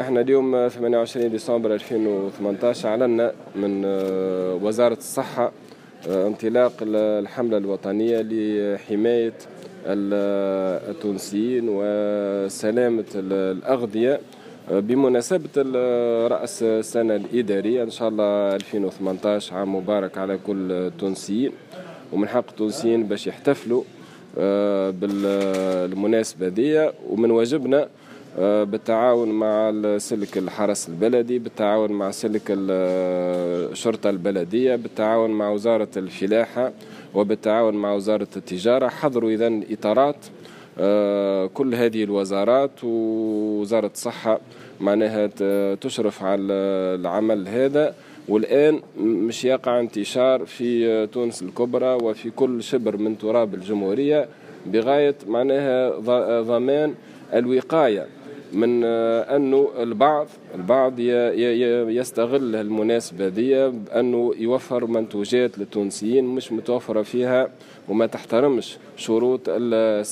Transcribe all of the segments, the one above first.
احنا اليوم 28 ديسمبر 2018 اعلنا من وزارة الصحة انطلاق الحملة الوطنية لحماية التونسيين وسلامة الأغذية بمناسبة رأس السنة الإدارية. إن شاء الله 2018 عام مبارك على كل التونسيين، ومن حق التونسيين باش يحتفلوا بالمناسبة دي، ومن واجبنا بالتعاون مع سلك الحرس البلدي، بالتعاون مع سلك الشرطة البلدية، بالتعاون مع وزارة الفلاحة، وبالتعاون مع وزارة التجارة، حضروا إذن إطارات كل هذه الوزارات، ووزارة الصحة معناها تشرف على العمل هذا. والآن مش يقع انتشار في تونس الكبرى وفي كل شبر من تراب الجمهورية بغاية معناها ضمان الوقاية من أنه البعض يستغل المناسبة دي بأنه يوفر منتوجات للتونسيين مش متوفرة فيها وما تحترمش شروط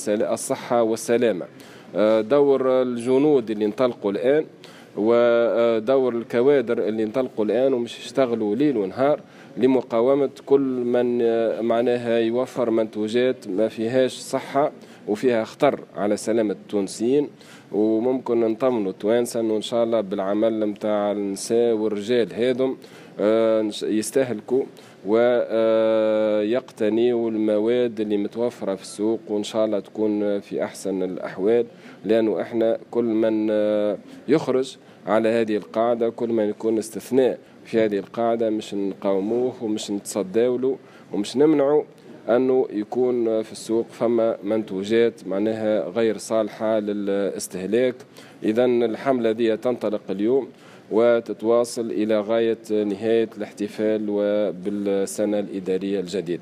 الصحة والسلامة. دور الجنود اللي انطلقوا الآن ودور الكوادر اللي انطلقوا الآن ومش يشتغلوا ليل ونهار لمقاومة كل من معناها يوفر منتوجات ما فيهاش صحة وفيها خطر على سلامة التونسيين. وممكن نطمنوا التوانسة أنه إن شاء الله بالعمل متاع النساء والرجال هذم يستهلكوا ويقتنيوا المواد اللي متوفرة في السوق، وإن شاء الله تكون في أحسن الأحوال، لأنه إحنا كل من يخرج على هذه القاعدة، كل من يكون استثناء في هذه القاعدة مش نقاوموه ومش نتصداولو ومش نمنعه أنه يكون في السوق فما منتوجات معناها غير صالحة للاستهلاك. إذن الحملة دي تنطلق اليوم وتتواصل إلى غاية نهاية الاحتفال وبالسنة الإدارية الجديدة.